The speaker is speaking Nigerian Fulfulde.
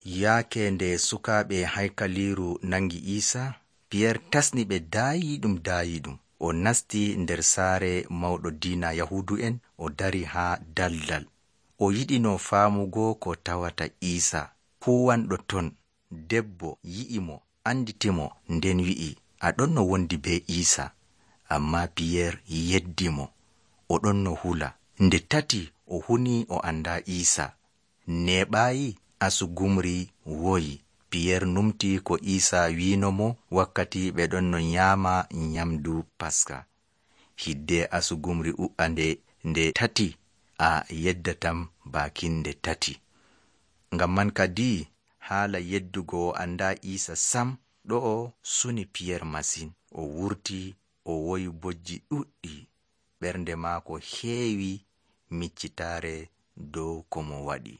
Yaake nde sukaaɓe haykaliiru nangi Iisa, Piyeer tasni ɓe daayiiɗum. O nasti nder saare mawɗo diina Yahuudu'en, o dari haa daldal. O yiɗino faamugo ko tawata Iisa. Huuwanɗo ton debbo yi'i mo, anditimo, nden wi'i, a ɗon no wondi be Iisa. Ammaa Piyeer yeddi mo, o ɗon no hula. Nde tati o huni o andaa Iisa. Neeɓaayi asugumri woyi. Piyeer numti ko Iisa wiino mo wakkati ɓe ɗon no nyaama nyamdu Paska. Hidde asugumri u'a nde tati, a yeddatam baakinde tati. Ngam man kadi haala yeddugo o andaa Iisa sam ɗo'o suni Piyeer masin. O wurti, o woyi bojji ɗuɗɗi. Ɓernde maako heewi miccitaare dow ko mo waɗi.